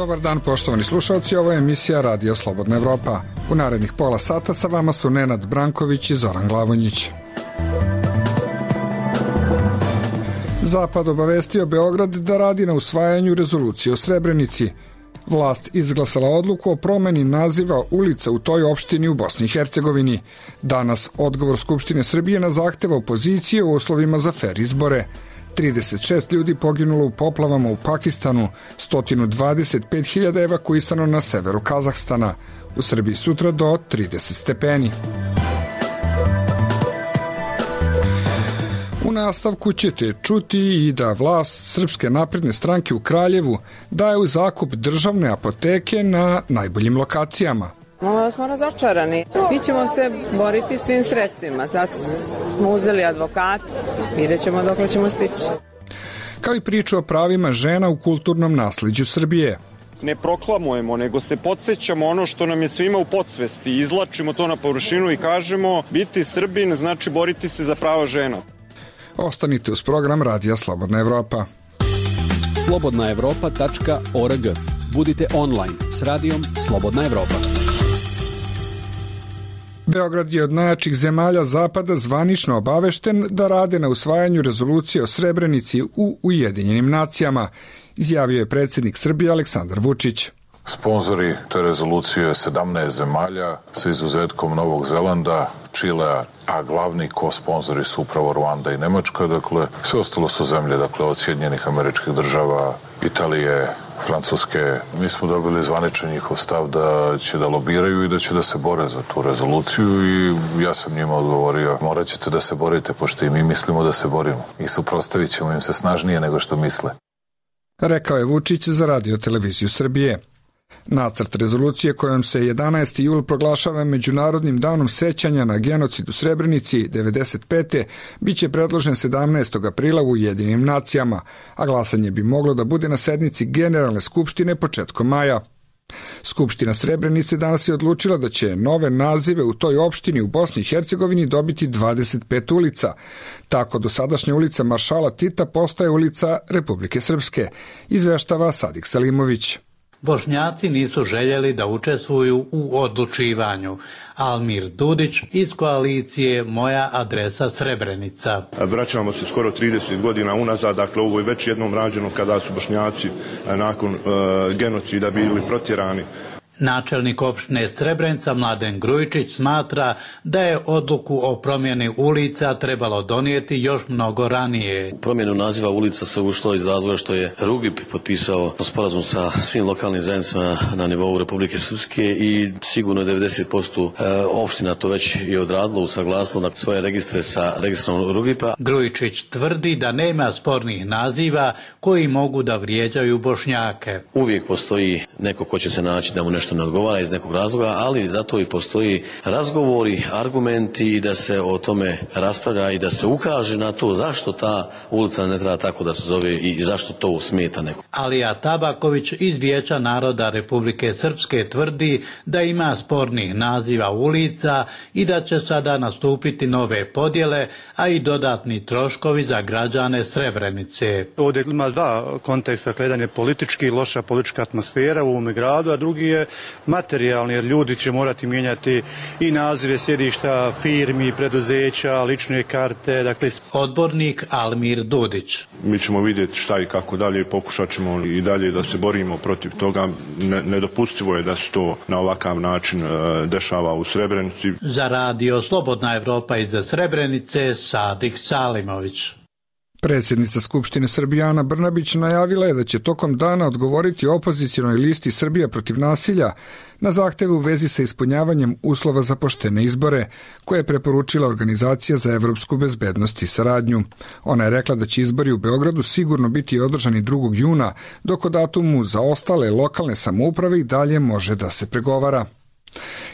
Dobar dan, poštovani slušalci, ovo je emisija Radio Slobodna Evropa. U narednih pola sata sa vama su Nenad Branković i Zoran Glavonjić. Zapad obavestio Beograd da radi na usvajanju rezolucije o Srebrenici. Vlast izglasala odluku o promeni naziva ulica u toj opštini u Bosni i Hercegovini. Danas odgovor Skupštine Srbije na zahteva opozicije u uslovima za fer izbore. 36 ljudi poginulo u poplavama u Pakistanu, 125.000 evakuisano na severu Kazahstana. U Srbiji sutra do 30 stepeni. U nastavku ćete čuti i da vlast Srpske napredne stranke u Kraljevu daje u zakup državne apoteke na najboljim lokacijama. Malo smo razočarani. Mi ćemo se boriti svim sredstvima. Sad smo uzeli advokat, vidjet ćemo dokle ćemo stići. Kao i priču o pravima žena u kulturnom nasleđu Srbije. Ne proklamujemo, nego se podsjećamo ono što nam je svima u podsvesti. Izlačimo to na površinu i kažemo biti Srbin znači boriti se za prava žena. Ostanite uz program Radija Slobodna Evropa. slobodnaevropa.org. Budite online s radijom Slobodna Evropa. Beograd je od najjačih zemalja Zapada zvanično obavešten da rade na usvajanju rezolucije o Srebrenici u Ujedinjenim nacijama, izjavio je predsjednik Srbije Aleksandar Vučić. Sponzori te rezolucije 17 zemalja sa izuzetkom Novog Zelanda, Čilea, a glavni ko-sponzori su upravo Ruanda i Nemačka, dakle sve ostalo su zemlje, dakle od Sjedinjenih Američkih Država, Italije, Francuske. Mi smo dobili zvaničan njihov stav da će da lobiraju i da će da se bore za tu rezoluciju i ja sam njima odgovorio morat ćete da se borite pošto i mi mislimo da se borimo i suprotstavit ćemo im se snažnije nego što misle. Rekao je Vučić za Radio televiziju Srbije. Nacrt rezolucije kojom se 11. jul proglašava Međunarodnim danom sećanja na genocid u Srebrenici 1995. biće predložen 17. aprila u Ujedinjenim nacijama, a glasanje bi moglo da bude na sednici Generalne skupštine početkom maja. Skupština Srebrenice danas je odlučila da će nove nazive u toj opštini u Bosni i Hercegovini dobiti 25 ulica. Tako dosadašnja ulica Maršala Tita postaje ulica Republike Srpske, izveštava Sadik Salimović. Bošnjaci nisu željeli da učestvuju u odlučivanju. Almir Dudić iz koalicije Moja adresa Srebrenica. Vraćamo se skoro 30 godina unazad, dakle ovo je već jednom rađeno kada su Bošnjaci nakon genocida bili protjerani. Načelnik opštine Srebrenica Mladen Grujičić smatra da je odluku o promjeni ulica trebalo donijeti još mnogo ranije. Promjenu naziva ulica se ušlo iz razloga što je Rugip potpisao sporazum sa svim lokalnim zajednicama na nivou Republike Srpske i sigurno 90% opština to već je odradilo, usaglasilo na svoje registre sa registrom Rugipa. Grujičić tvrdi da nema spornih naziva koji mogu da vrijeđaju Bošnjake. Uvijek postoji neko ko će se naći da mu nešto ne odgovara iz nekog razloga, ali zato i postoji razgovori, argumenti i da se o tome raspravlja i da se ukaže na to zašto ta ulica ne treba tako da se zove i zašto to smeta neko. Alija Tabaković iz Vijeća naroda Republike Srpske tvrdi da ima spornih naziva ulica i da će sada nastupiti nove podjele, a i dodatni troškovi za građane Srebrenice. Ovdje ima dva konteksta, jedan je politički, loša politička atmosfera u ovome gradu, a drugi je materijalni, jer ljudi će morati mijenjati i nazive sjedišta firmi, preduzeća, lične karte. Dakle... Odbornik Almir Dudić. Mi ćemo vidjeti šta i kako dalje, pokušat ćemo i dalje da se borimo protiv toga. Nedopustivo je da se to na ovakav način dešava u Srebrenici. Za Radio Slobodna Evropa iz Srebrenice, Sadik Salimović. Predsjednica Skupštine Srbije Ana Brnabić najavila je da će tokom dana odgovoriti opozicionoj listi Srbija protiv nasilja na zahteve u vezi sa ispunjavanjem uslova za poštene izbore, koje je preporučila Organizacija za evropsku bezbednost i saradnju. Ona je rekla da će izbori u Beogradu sigurno biti održani 2. juna, dok o datumu za ostale lokalne samouprave i dalje može da se pregovara.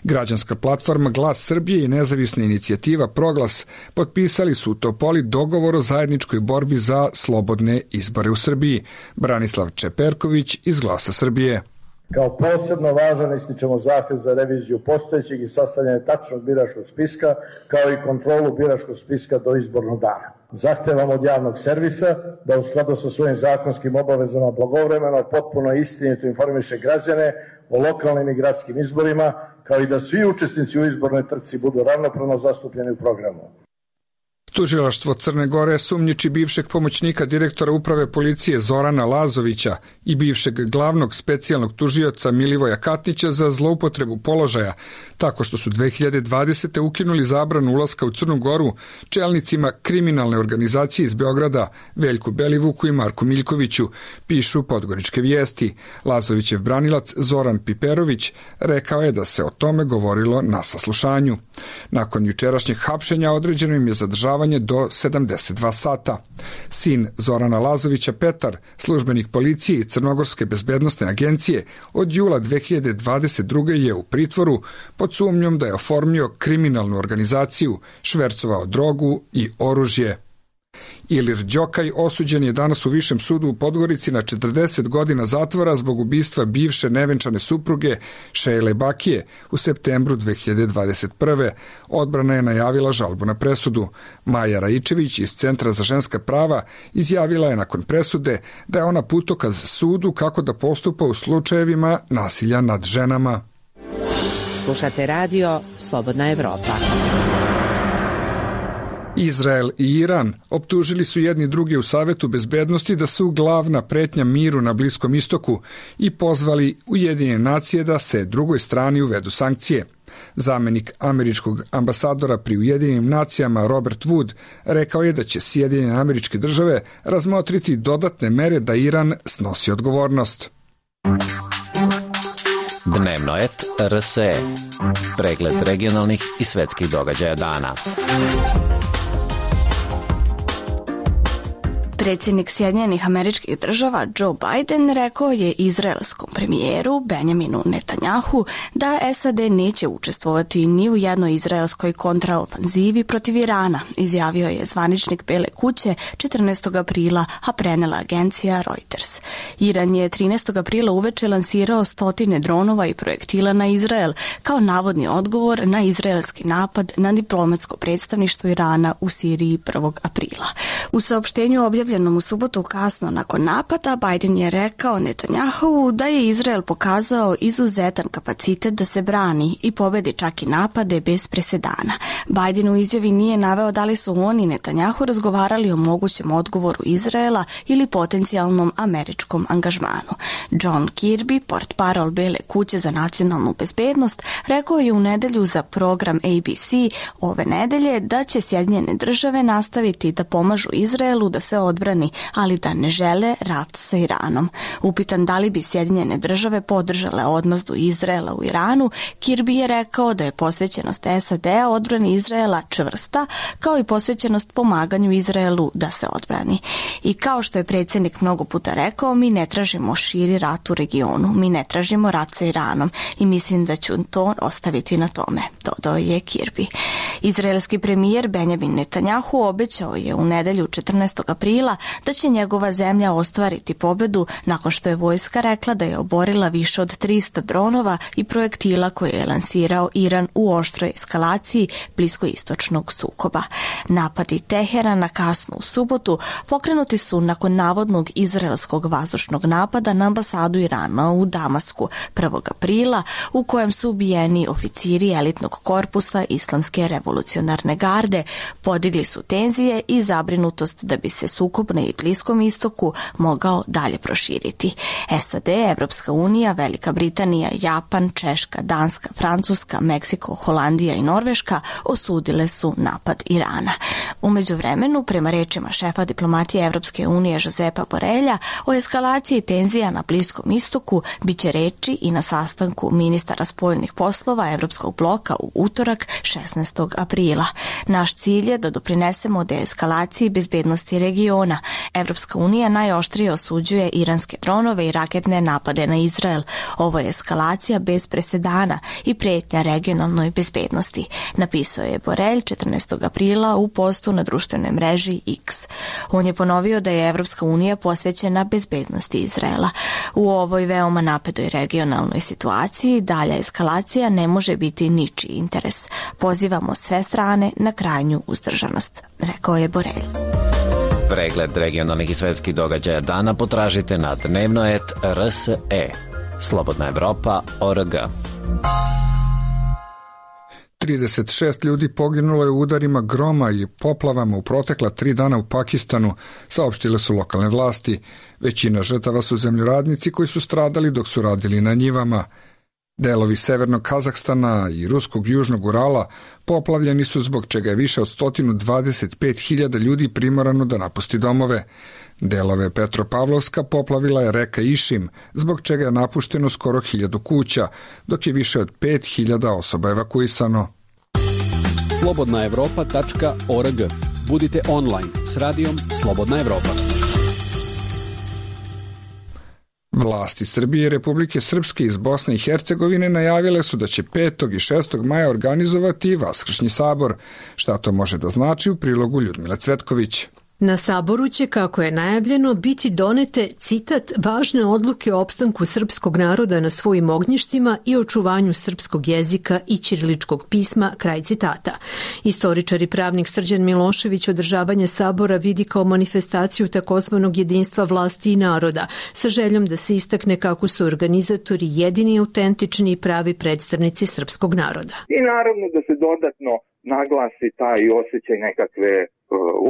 Građanska platforma Glas Srbije i nezavisna inicijativa Proglas potpisali su u Topoli dogovor o zajedničkoj borbi za slobodne izbore u Srbiji. Branislav Čeperković iz Glasa Srbije. Kao posebno važan ističemo zahtjev za reviziju postojećeg i sastavljanje tačnog biračkog spiska, kao i kontrolu biračkog spiska do izbornog dana. Zahtevamo od javnog servisa da u skladu sa svojim zakonskim obavezama blagovremeno, potpuno istinito informiše građane o lokalnim i gradskim izborima, kao i da svi učesnici u izbornoj trci budu ravnopravno zastupljeni u programu. Tužilaštvo Crne Gore sumnjiči bivšeg pomoćnika direktora uprave policije Zorana Lazovića i bivšeg glavnog specijalnog tužioca Milivoja Katnića za zloupotrebu položaja, tako što su 2020. ukinuli zabranu ulaska u Crnu Goru čelnicima kriminalne organizacije iz Beograda Veljku Belivuku i Marku Miljkoviću, pišu Podgoričke vijesti. Lazovićev branilac Zoran Piperović rekao je da se o tome govorilo na saslušanju. Nakon jučerašnjeg hapšenja određeno im je zadržavanje do 72 sata. Sin Zorana Lazovića, Petar, službenik policije i Crnogorske bezbednosne agencije, od jula 2022. je u pritvoru pod sumnjom da je oformio kriminalnu organizaciju, švercovao drogu i oružje. Ilir Đokaj osuđen je danas u Višem sudu u Podgorici na 40 godina zatvora zbog ubistva bivše nevenčane supruge Šejle Bakije u septembru 2021. Odbrana je najavila žalbu na presudu. Maja Raičević iz Centra za ženska prava izjavila je nakon presude da je ona putokaz sudu kako da postupa u slučajevima nasilja nad ženama. Slušate radio Slobodna Evropa. Izrael i Iran optužili su jedni druge u Savetu bezbednosti da su glavna pretnja miru na Bliskom istoku i pozvali Ujedinjene nacije da se drugoj strani uvedu sankcije. Zamenik američkog ambasadora pri Ujedinjenim nacijama Robert Wood rekao je da će Sjedinjene Američke Države razmotriti dodatne mere da Iran snosi odgovornost. Dnevno et RSE. Pregled regionalnih i svetskih događaja dana. Predsjednik Sjedinjenih Američkih Država Joe Biden rekao je izraelskom premijeru Benjaminu Netanjahu da SAD neće učestvovati ni u jednoj izraelskoj kontraofanzivi protiv Irana, izjavio je zvaničnik Bele kuće 14. aprila, a prenela agencija Reuters. Iran je 13. aprila uveče lansirao stotine dronova i projektila na Izrael kao navodni odgovor na izraelski napad na diplomatsko predstavništvo Irana u Siriji 1. aprila. U saopštenju objavljenom u subotu kasno nakon napada, Biden je rekao Netanjahu da je Izrael pokazao izuzetan kapacitet da se brani i pobedi čak i napade bez presedana. Biden u izjavi nije naveo da li su on i Netanjahu razgovarali o mogućem odgovoru Izraela ili potencijalnom američkom angažmanu. John Kirby, portparol Bele kuće za nacionalnu bezbednost, rekao je u nedelju za program ABC ove nedelje da će Sjedinjene Države nastaviti da pomažu Izraelu da se odbrani, ali da ne žele rat sa Iranom. Upitan da li bi Sjedinjene Države podržale odmazdu Izraela u Iranu, Kirby je rekao da je posvećenost SAD-a odbrani Izraela čvrsta, kao i posvećenost pomaganju Izraelu da se odbrani. I kao što je predsjednik mnogo puta rekao, mi ne tražimo širi rat u regionu, mi ne tražimo rat sa Iranom i mislim da ću to ostaviti na tome, dodao je Kirby. Izraelski premijer Benjamin Netanjahu obećao je u nedelju 14. aprila da će njegova zemlja ostvariti pobedu nakon što je vojska rekla da je oborila više od 300 dronova i projektila koje je lansirao Iran u oštroj eskalaciji bliskoistočnog sukoba. Napadi Teherana kasno u subotu pokrenuti su nakon navodnog izraelskog vazdušnog napada na ambasadu Irana u Damasku 1. aprila, u kojem su ubijeni oficiri elitnog korpusa Islamske revolucionarne garde, podigli su tenzije i zabrinutost da bi se sukob na Bliskom istoku mogao dalje proširiti. SAD, Evropska unija, Velika Britanija, Japan, Češka, Danska, Francuska, Meksiko, Holandija i Norveška osudile su napad Irana. U međuvremenu, prema rečima šefa diplomatije Evropske unije Josepa Borelja, o eskalaciji tenzija na Bliskom istoku biće reči i na sastanku ministara spoljnih poslova Evropskog bloka u utorak 16. aprila. Naš cilj je da doprinesemo deeskalaciji bezbednosti regiona. Evropska unija najoštrije osuđuje iranske dronove i raketne napade na Izrael. Ovo je eskalacija bez presedana i pretnja regionalnoj bezbednosti, napisao je Borelj 14. aprila u postu na društvenoj mreži X. On je ponovio da je Evropska unija posvećena bezbednosti Izraela. U ovoj veoma napetoj regionalnoj situaciji dalja eskalacija ne može biti ničiji interes. Pozivamo sve strane na krajnju uzdržanost, rekao je Borelj. Pregled regionalnih i svetskih događaja dana potražite na dnevnoet.rse. Slobodna Evropa.org. 36 ljudi poginulo je u udarima groma i poplavama u protekla 3 dana u Pakistanu, saopštile su lokalne vlasti. Većina žrtava su zemljoradnici koji su stradali dok su radili na njivama. Delovi severnog Kazahstana i ruskog južnog Urala poplavljeni su, zbog čega je više od 125.000 ljudi primorano da napusti domove. Delove Petropavlovska poplavila je reka Išim, zbog čega je napušteno skoro 1000 kuća, dok je više od 5.000 osoba evakuisano. slobodnaevropa.org. Budite online s radijom Slobodna Evropa. Vlasti Srbije i Republike Srpske iz Bosne i Hercegovine najavile su da će 5. i 6. maja organizovati Vaskršnji sabor. Šta to može da znači, u prilogu Ljudmile Cvetković. Na saboru će, kako je najavljeno, biti donete, citat, važne odluke o opstanku srpskog naroda na svojim ognjištima i očuvanju srpskog jezika i ćiriličkog pisma, kraj citata. Istoričar i pravnik Srđan Milošević održavanje sabora vidi kao manifestaciju takozvanog jedinstva vlasti i naroda, sa željom da se istakne kako su organizatori jedini, autentični i pravi predstavnici srpskog naroda. I naravno da se dodatno naglasi taj osjećaj nekakve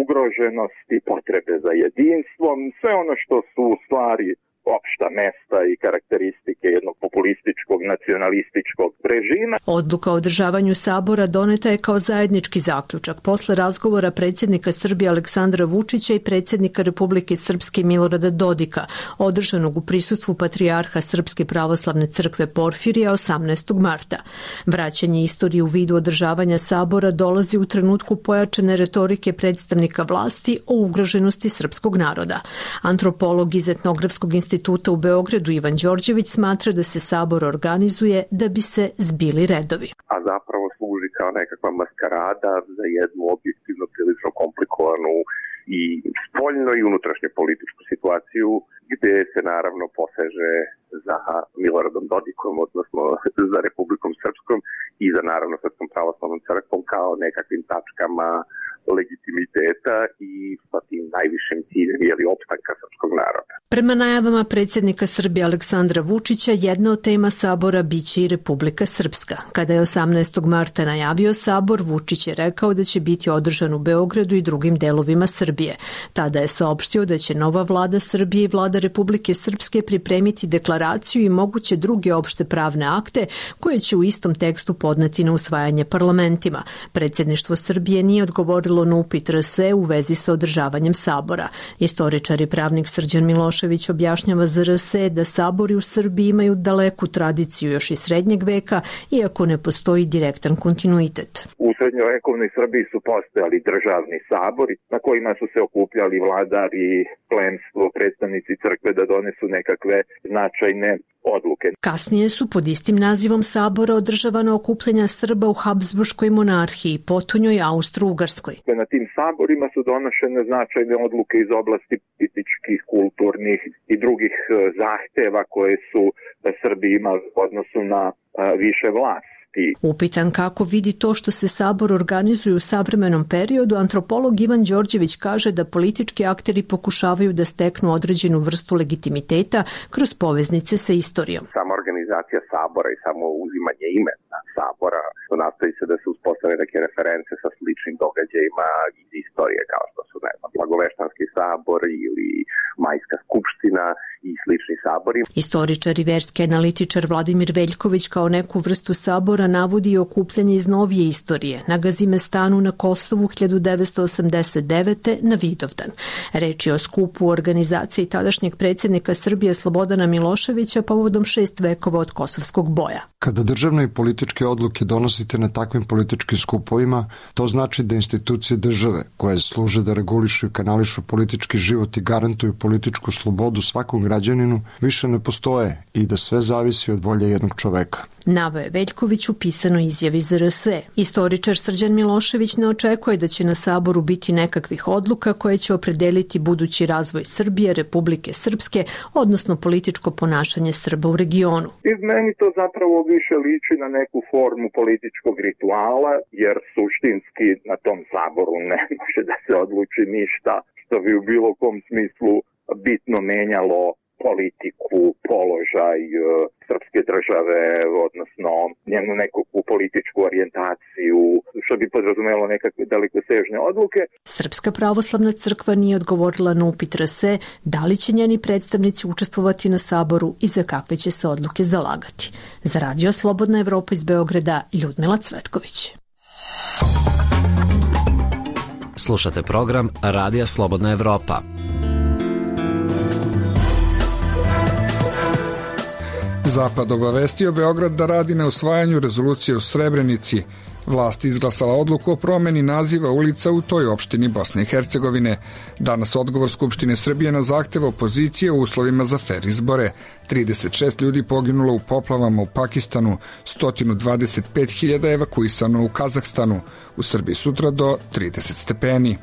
ugroženosti, potrebe za jedinstvom, sve ono što su u stvari opšta mesta i karakteristike jednog populističkog, nacionalističkog režima. Odluka o održavanju sabora doneta je kao zajednički zaključak posle razgovora predsjednika Srbije Aleksandra Vučića i predsjednika Republike Srpske Milorada Dodika, održanog u prisustvu patrijarha Srpske pravoslavne crkve Porfirija 18. marta. Vraćanje istorije u vidu održavanja sabora dolazi u trenutku pojačane retorike predstavnika vlasti o ugroženosti srpskog naroda. Antropolog iz Etnografskog instituta u Beogradu Ivan Đorđević smatra da se sabor organizuje da bi se zbili redovi. A zapravo služi kao nekakva maskarada za jednu objektivno prilično komplikovanu i spoljno i unutrašnju političku situaciju, gde se naravno poseže za Miloradom Dodikom, odnosno za Republikom Srpskom i za naravno Srpskom pravoslavnom crkvom kao nekakvim tačkama legitimiteta i sa tim najvišim ciljem opstanka srpskog naroda. Prema najavama predsjednika Srbije Aleksandra Vučića, jedna od tema sabora biće i Republika Srpska. Kada je 18. marta najavio sabor, Vučić je rekao da će biti održan u Beogradu i drugim delovima Srbije. Tada je saopštio da će nova vlada Srbije i vlada Republike Srpske pripremiti deklaraciju i moguće druge opšte pravne akte koje će u istom tekstu podneti na usvajanje parlamentima. Predsjedništvo Srbije nije odgovorilo na upit RSE u vezi sa održavanjem sabora. Istoričar i pravnik Srđan Milošević objašnjava za RSE da sabori u Srbiji imaju daleku tradiciju još iz srednjeg veka, iako ne postoji direktan kontinuitet. U srednjovekovnoj Srbiji su postojali državni sabori na kojima su se okupljali vladari, plemstvo, predstavnici crkve da donesu nekakve značajne odluke. Kasnije su pod istim nazivom sabora održavana okupljanja Srba u Habsburškoj monarhiji, potonjoj Austro-Ugarskoj. Na tim saborima su donošene značajne odluke iz oblasti političkih, kulturnih i drugih zahteva koje su Srbi imali u odnosu na više vlasti. Upitan kako vidi to što se sabor organizuje u savremenom periodu, antropolog Ivan Đorđević kaže da politički akteri pokušavaju da steknu određenu vrstu legitimiteta kroz poveznice sa istorijom. Sama organizacija sabora i samo uzimanje imena sabora, nastoji se da se uspostave neke reference sa sličnim događajima iz istorije, kao što su Blagoveštanski sabor ili Majska skupština i slični sabori. Istoričar i verski analitičar Vladimir Veljković kao neku vrstu sabora navodi i okupljanje iz novije istorije na Gazimestanu na Kosovu 1989. na Vidovdan. Reč je o skupu organizaciji tadašnjeg predsjednika Srbije Slobodana Miloševića povodom 6 vekova od kosovskog boja. Kada državne i političke odluke donosite na takvim političkim skupovima, to znači da institucije države, koje služe da regulišu i kanališu politički život i garantuju političku slobodu svakom građaninu, više ne postoje i da sve zavisi od volje jednog čoveka. Naveo je Veljković u pisanoj izjavi za RSE. Istoričar Srđan Milošević ne očekuje da će na saboru biti nekakvih odluka koje će opredeliti budući razvoj Srbije, Republike Srpske, odnosno političko ponašanje Srba u regionu. I meni to zapravo više liči na neku formu političkog rituala, jer suštinski na tom saboru ne može da se odluči ništa što bi u bilo kom smislu bitno menjalo politiku, položaj srpske države, odnosno njenu nekakvu političku orijentaciju, što bi podrazumelo nekakve dalekosežne odluke. Srpska pravoslavna crkva nije odgovorila na upit RSE da li će njeni predstavnici učestvovati na saboru i za kakve će se odluke zalagati. Za Radio Slobodna Evropa iz Beograda, Ljudmila Cvetković. Slušate program Radija Slobodna Evropa. Zapad obavestio Beograd da radi na usvajanju rezolucije u Srebrenici. Vlast izglasala odluku o promeni naziva ulica u toj opštini Bosne i Hercegovine. Danas odgovor Skupštine Srbije na zahtev opozicije u uslovima za fer izbore. 36 ljudi poginulo u poplavama u Pakistanu, 125.000 evakuisano u Kazahstanu. U Srbiji sutra do 30 stepeni.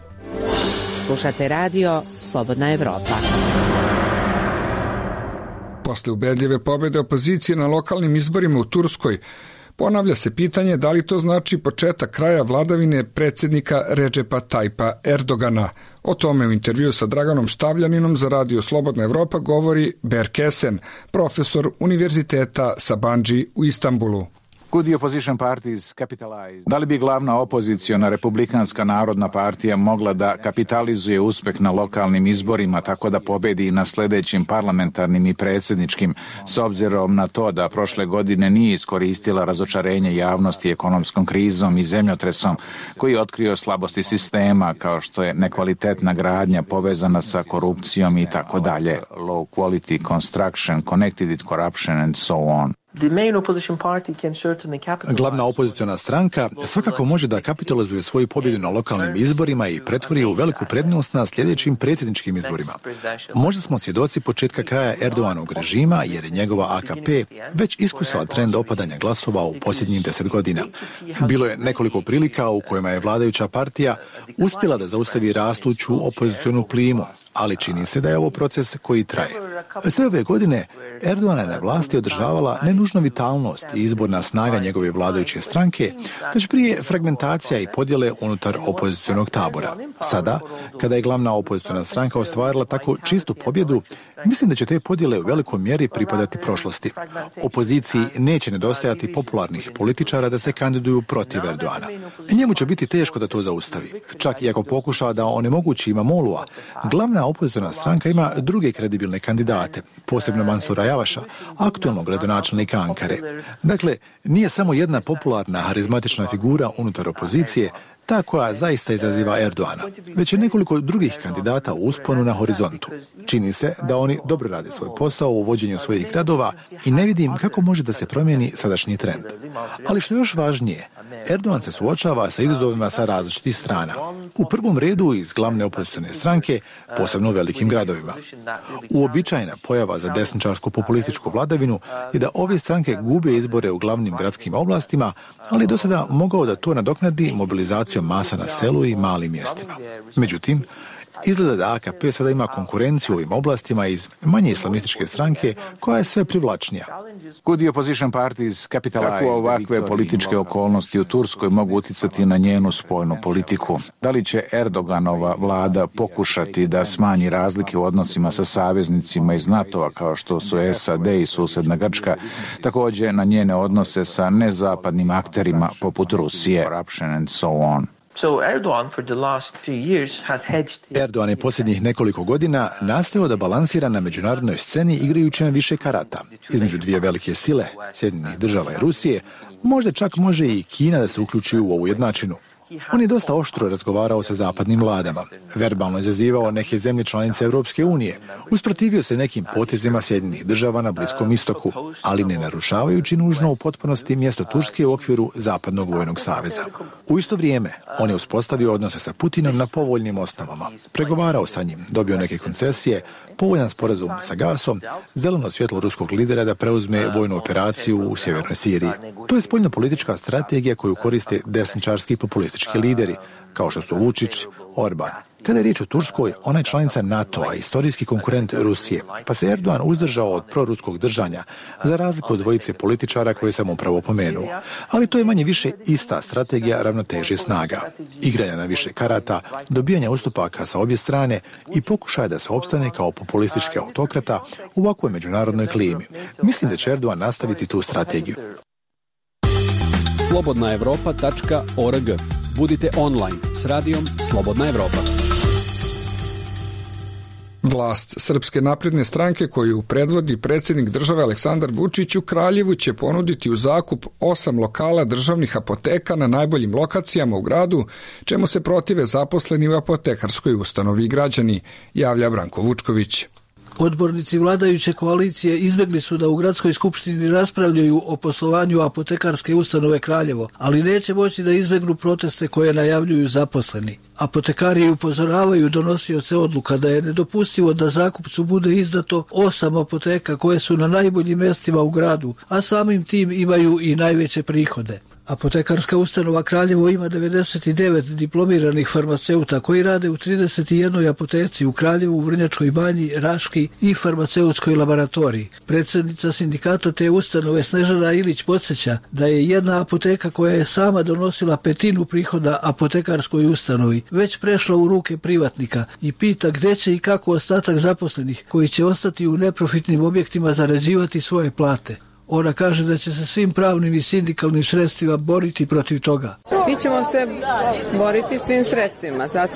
Slušate radio Slobodna Evropa. Posle ubedljive pobjede opozicije na lokalnim izborima u Turskoj, ponavlja se pitanje da li to znači početak kraja vladavine predsjednika Redžepa Tajpa Erdogana. O tome u intervju sa Draganom Štavljaninom za Radio Slobodna Evropa govori Berk Esen, profesor Univerziteta Sabancı u Istanbulu. Da li bi glavna opoziciona Republikanska narodna partija mogla da kapitalizuje uspeh na lokalnim izborima tako da pobedi na sljedećim parlamentarnim i predsjedničkim, s obzirom na to da prošle godine nije iskoristila razočarenje javnosti ekonomskom krizom i zemljotresom koji je otkrio slabosti sistema kao što je nekvalitetna gradnja povezana sa korupcijom i tako dalje, low quality construction, connected with corruption and so on. Glavna opoziciona stranka svakako može da kapitalizuje svoju pobjedu na lokalnim izborima i pretvori u veliku prednost na sljedećim predsjedničkim izborima. Možda smo svjedoci početka kraja Erdoganovog režima jer je njegova AKP već iskusila trend opadanja glasova u posljednjih 10 godina. Bilo je nekoliko prilika u kojima je vladajuća partija uspjela da zaustavi rastuću opozicionu plimu, ali čini se da je ovo proces koji traje. Sve ove godine Erdogan je na vlasti održavala ne nužno vitalnost i izborna snaga njegove vladajuće stranke, već prije fragmentacija i podjele unutar opozicionog tabora. Sada, kada je glavna opoziciona stranka ostvarila tako čistu pobjedu, mislim da će te podjele u velikoj mjeri pripadati prošlosti. Opoziciji neće nedostajati popularnih političara da se kandiduju protiv Erdogana. Njemu će biti teško da to zaustavi. Čak i ako pokuša da onemogući Imamoglu'a, glavna opoziciona stranka ima druge kredibilne kandidate, posebno Mansura Javaša, aktualnog gradonačelnika Ankare. Dakle, nije samo jedna popularna, harizmatična figura unutar opozicije ta koja zaista izaziva Erdogana, već je nekoliko drugih kandidata u usponu na horizontu. Čini se da oni dobro rade svoj posao u vođenju svojih gradova i ne vidim kako može da se promijeni sadašnji trend. Ali što je još važnije, Erdogan se suočava sa izazovima sa različitih strana. U prvom redu iz glavne opozicione stranke, posebno u velikim gradovima. Uobičajena pojava za desničarsku populističku vladavinu je da ove stranke gube izbore u glavnim gradskim oblastima, ali do sada mogao da to nadoknadi mobilizacijom masa na selu i malim mjestima. Međutim, izgleda da AKP sada ima konkurenciju u ovim oblastima iz manje islamističke stranke koja je sve privlačnija. Kako ovakve političke okolnosti u Turskoj mogu uticati na njenu spoljnu politiku? Da li će Erdoganova vlada pokušati da smanji razlike u odnosima sa saveznicima iz NATO-a kao što su SAD i susjedna Grčka, također na njene odnose sa nezapadnim akterima poput Rusije, corruption and so on? Erdogan je posljednjih nekoliko godina nastojao da balansira na međunarodnoj sceni igrajući na više karata. Između dvije velike sile, Sjedinjenih Država i Rusije, možda čak može i Kina da se uključi u ovu jednačinu. On je dosta oštro razgovarao sa zapadnim vladama, verbalno izazivao neke zemlje članice Europske unije, usprotivio se nekim potezima Sjedinjenih Država na Bliskom istoku, ali ne narušavajući nužno u potpunosti mjesto Turske u okviru Zapadnog vojnog saveza. U isto vrijeme, on je uspostavio odnose sa Putinom na povoljnim osnovama, pregovarao sa njim, dobio neke koncesije, povoljan sporazum sa gasom, zeleno svjetlo ruskog lidera da preuzme vojnu operaciju u sjevernoj Siriji. To je spoljnopolitička strategija koju koriste desničarski populistički lideri, kao što su Vučić, Orban. Kada je riječ o Turskoj, ona je članica NATO-a, istorijski konkurent Rusije, pa se Erdogan uzdržao od proruskog držanja, za razliku od dvojice političara koje sam upravo pomenuo. Ali to je manje više ista strategija ravnoteže snaga. Igranja na više karata, dobijanja ustupaka sa obje strane i pokušaja da se opstane kao populistički autokrata u ovakvoj međunarodnoj klimi. Mislim da će Erdogan nastaviti tu strategiju. slobodnaevropa.org. Budite online s radijom Slobodna Evropa. Vlast Srpske napredne stranke koju predvodi predsjednik države Aleksandar Vučić u Kraljevu će ponuditi u zakup 8 lokala državnih apoteka na najboljim lokacijama u gradu, čemu se protive zaposleni u apotekarskoj ustanovi i građani, javlja Branko Vučković. Odbornici vladajuće koalicije izbjegli su da u gradskoj skupštini raspravljaju o poslovanju apotekarske ustanove Kraljevo, ali neće moći da izbjegnu proteste koje najavljuju zaposleni. Apotekari upozoravaju donosioce odluka da je nedopustivo da zakupcu bude izdato 8 apoteka koje su na najboljim mjestima u gradu, a samim tim imaju i najveće prihode. Apotekarska ustanova Kraljevo ima 99 diplomiranih farmaceuta koji rade u 31 apoteci u Kraljevu, Vrnjačkoj Banji, Raški i farmaceutskoj laboratoriji. Predsjednica sindikata te ustanove Snežana Ilić podsjeća da je jedna apoteka koja je sama donosila 1/5 prihoda apotekarskoj ustanovi već prešla u ruke privatnika i pita gdje će i kako ostatak zaposlenih koji će ostati u neprofitnim objektima zarađivati svoje plate. Ona kaže da će se svim pravnim i sindikalnim sredstvima boriti protiv toga. Mi ćemo se boriti svim sredstvima. Sad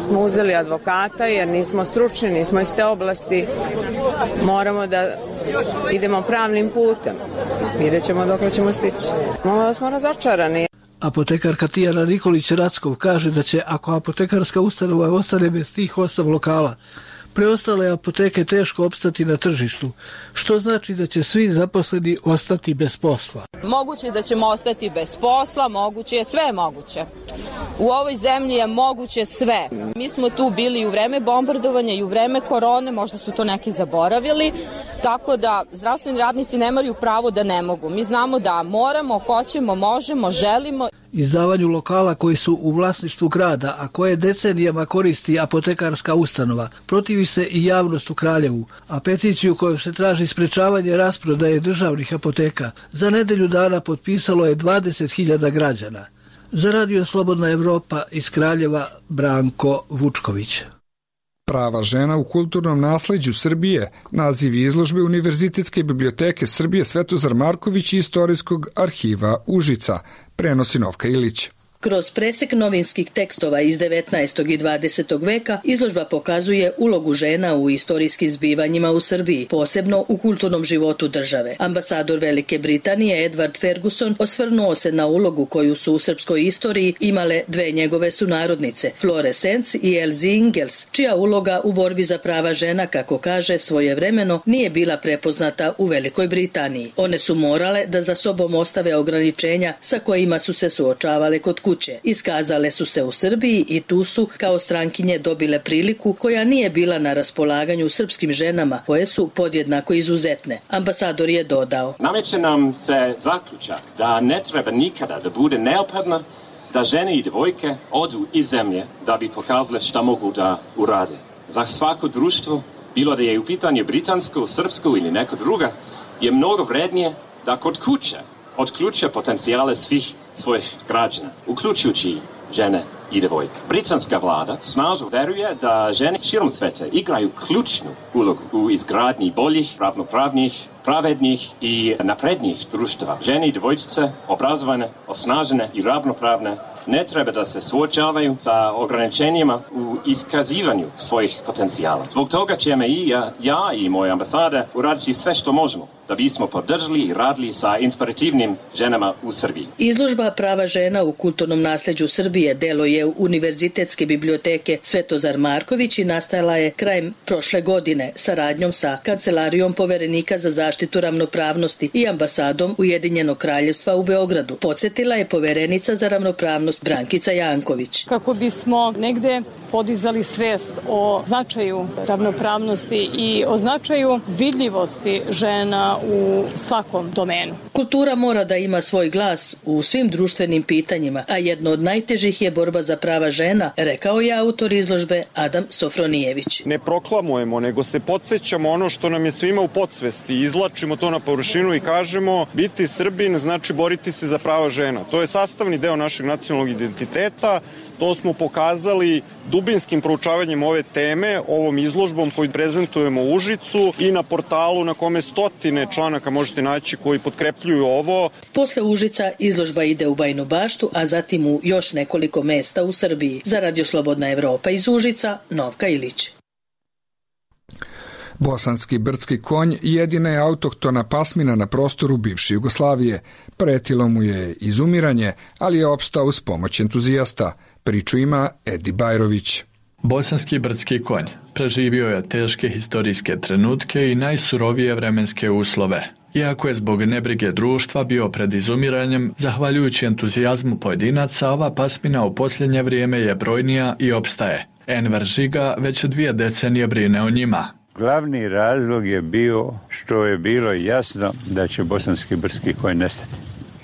smo uzeli advokata jer nismo stručni, nismo iz te oblasti. Moramo da idemo pravnim putem. Vidjet ćemo dok ćemo stići. Malo da smo razočarani. Apotekarka Tijana Nikolić-Rackov kaže da će, ako apotekarska ustanova ostane bez tih 8 lokala, preostale apoteke teško opstati na tržištu, što znači da će svi zaposleni ostati bez posla. Moguće da ćemo ostati bez posla, moguće je, sve moguće. U ovoj zemlji je moguće sve. Mi smo tu bili i u vreme bombardovanja i u vreme korone, možda su to neki zaboravili, tako da zdravstveni radnici nemaju pravo da ne mogu. Mi znamo da moramo, hoćemo, možemo, želimo. Izdavanju lokala koji su u vlasništvu grada, a koje decenijama koristi apotekarska ustanova, protivi se i javnost u Kraljevu, a peticiju kojom se traži sprečavanje rasprodaje državnih apoteka za nedelju dana potpisalo je 20.000 građana. Za Radio Slobodna Evropa iz Kraljeva, Branko Vučković. Prava žena u kulturnom nasleđu Srbije, naziv izložbe Univerzitetske biblioteke Srbije Svetozar Marković i Istorijskog arhiva Užica, prenosi Novka Ilić. Kroz presek novinskih tekstova iz 19. i 20. veka izložba pokazuje ulogu žena u istorijskim zbivanjima u Srbiji, posebno u kulturnom životu države. Ambasador Velike Britanije Edward Ferguson osvrnuo se na ulogu koju su u srpskoj istoriji imale dve njegove sunarodnice, Flore Sens i Elsie Ingels, čija uloga u borbi za prava žena, kako kaže, svojevremeno nije bila prepoznata u Velikoj Britaniji. One su morale da za sobom ostave ograničenja sa kojima su se suočavale kod kuće. Iskazale su se u Srbiji i tu su kao strankinje dobile priliku koja nije bila na raspolaganju srpskim ženama koje su podjednako izuzetne. Ambasador je dodao: Nameće nam se zaključak da ne treba nikada da bude neophodno da žene i devojke odu iz zemlje da bi pokazale šta mogu da urade. Za svako društvo, bilo da je u pitanju britansko, srpsko ili neko druga, je mnogo vrednije da kod kuće otključe potencijale svih svojih građana, uključujući žene i devojke. Britanska vlada snažno veruje da žene širom sveta igraju ključnu ulogu u izgradnji boljih, ravnopravnih, pravednih i naprednijih društva. Žene i devojčice, obrazovane, osnažene i ravnopravne, ne treba da se suočavaju sa ograničenjima u iskazivanju svojih potencijala. Zbog toga ćemo i ja i moja ambasada uraditi sve što možemo da bismo podržali i radili sa inspirativnim ženama u Srbiji. Izložba prava žena u kulturnom nasleđu Srbije delo je Univerzitetske biblioteke Svetozar Marković i nastajala je krajem prošle godine saradnjom sa Kancelarijom poverenika za zaštitu ravnopravnosti i ambasadom Ujedinjenog kraljevstva u Beogradu. Podsjetila je poverenica za ravnopravnost Brankica Janković. Kako bismo negde podizali svest o značaju ravnopravnosti i o značaju vidljivosti žena u svakom domenu. Kultura mora da ima svoj glas u svim društvenim pitanjima, a jedno od najtežih je borba za prava žena, rekao je autor izložbe Adam Sofronijević. Ne proklamujemo, nego se podsjećamo ono što nam je svima u podsvesti, izvlačimo to na površinu i kažemo biti Srbin znači boriti se za prava žena. To je sastavni deo našeg nacionalnog identiteta. To smo pokazali dubinskim proučavanjem ove teme, ovom izložbom koju prezentujemo u Užicu i na portalu na kome stotine članaka možete naći koji potkrepljuju ovo. Posle Užica izložba ide u Bajinu Baštu, a zatim u još nekoliko mesta u Srbiji. Za Radio Slobodna Evropa iz Užica, Novka Ilić. Bosanski brdski konj jedina je autohtona pasmina na prostoru bivše Jugoslavije. Pretilo mu je izumiranje, ali je opstao uz pomoć entuzijasta. Priču ima Edi Bajrović. Bosanski brdski konj preživio je teške historijske trenutke i najsurovije vremenske uslove. Iako je zbog nebrige društva bio pred izumiranjem, zahvaljujući entuzijazmu pojedinaca, ova pasmina u posljednje vrijeme je brojnija i opstaje. Enver Žiga već 2 decenije brine o njima. Glavni razlog je bio što je bilo jasno da će bosanski brdski konj nestati.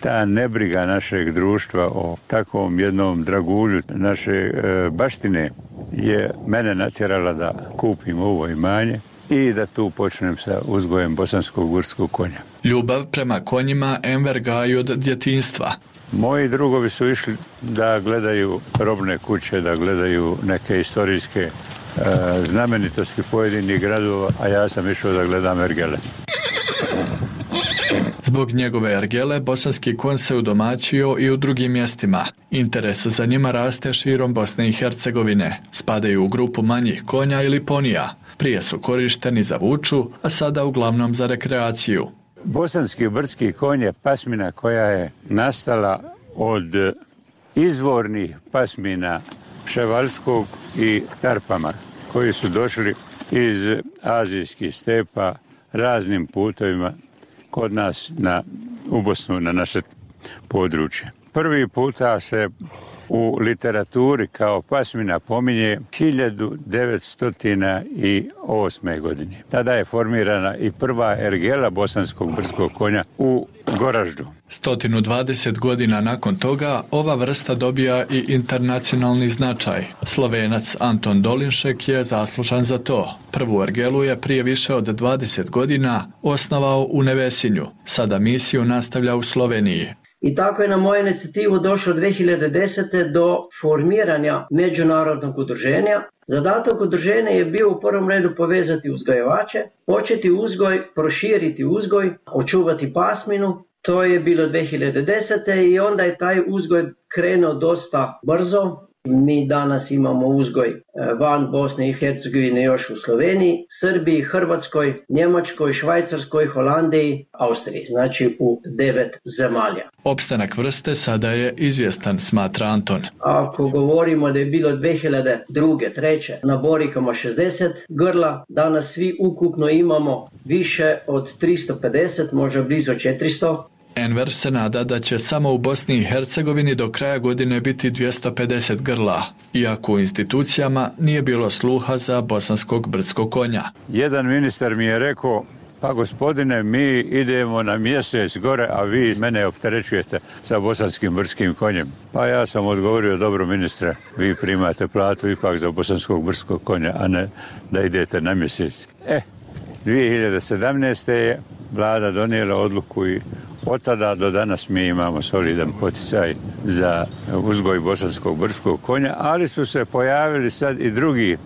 Ta nebriga našeg društva o takvom jednom dragulju naše baštine je mene natjerala da kupim ovo imanje i da tu počnem sa uzgojem bosanskog brdskog konja. Ljubav prema konjima Enver gaji od djetinjstva. Moji drugovi su išli da gledaju robne kuće, da gledaju neke istorijske znamenitosti pojedinih gradova, a ja sam išao da gledam ergele. Zbog njegove ergele, bosanski konj se udomaćio i u drugim mjestima. Interes za njima raste širom Bosne i Hercegovine. Spadaju u grupu manjih konja ili ponija. Prije su korišteni za vuču, a sada uglavnom za rekreaciju. Bosanski brdski konj je pasmina koja je nastala od izvornih pasmina Pševalskog i Tarpama, koji su došli iz azijskih stepa raznim putovima kod nas u Bosnu, na naše područje. Prvi puta se u literaturi kao pasmina pominje 1908. godine. Tada je formirana i prva ergela bosanskog brdskog konja u Goraždu. 120 godina nakon toga ova vrsta dobija i internacionalni značaj. Slovenac Anton Dolinšek je zaslužan za to. Prvu ergelu je prije više od 20 godina osnovao u Nevesinju. Sada misiju nastavlja u Sloveniji. I tako je na moju inicijativu došlo 2010. do formiranja međunarodnog udruženja. Zadatak udruženja je bio u prvom redu povezati uzgajivače, početi uzgoj, proširiti uzgoj, očuvati pasminu. To je bilo 2010. i onda je taj uzgoj krenuo dosta brzo. Mi danas imamo uzgoj van Bosne i Hercegovine još u Sloveniji, Srbiji, Hrvatskoj, Njemačkoj, Švajcarskoj, Holandiji, Austriji, znači u 9 zemalja. Opstanak vrste sada je izvjestan, smatra Anton. Ako govorimo da je bilo 2002. 2003. na Borikama 60 grla, danas svi ukupno imamo više od 350, možda blizu 400. Enver se nada da će samo u Bosni i Hercegovini do kraja godine biti 250 grla, iako u institucijama nije bilo sluha za bosanskog brdskog konja. Jedan ministar mi je rekao, pa gospodine, mi idemo na mjesec gore, a vi mene opterećujete sa bosanskim brdskim konjem. Pa ja sam odgovorio, dobro ministre, vi primate platu ipak za bosanskog brdskog konja, a ne da idete na mjesec. 2017. je vlada donijela odluku i od tada do danas mi imamo solidan poticaj za uzgoj bosanskog brdskog konja, ali su se pojavili sad i drugi.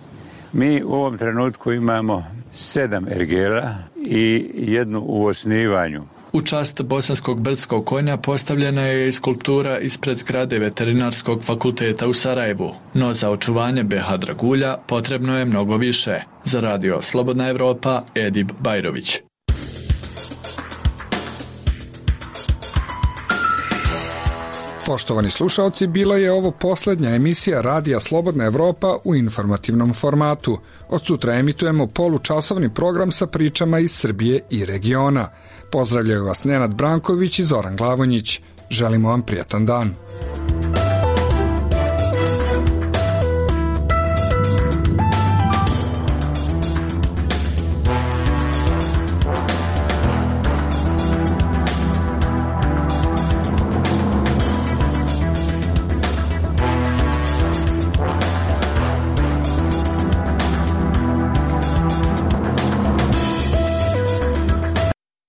Mi u ovom trenutku imamo 7 ergela i jednu u osnivanju. U čast bosanskog brdskog konja postavljena je i skulptura ispred zgrade Veterinarskog fakulteta u Sarajevu, no za očuvanje BH dragulja potrebno je mnogo više. Za Radio Slobodna Evropa, Edib Bajrović. Poštovani slušalci, bila je ovo posljednja emisija Radija Slobodna Evropa u informativnom formatu. Od sutra emitujemo polučasovni program sa pričama iz Srbije i regiona. Pozdravljaju vas Nenad Branković i Zoran Glavonjić. Želimo vam prijatan dan.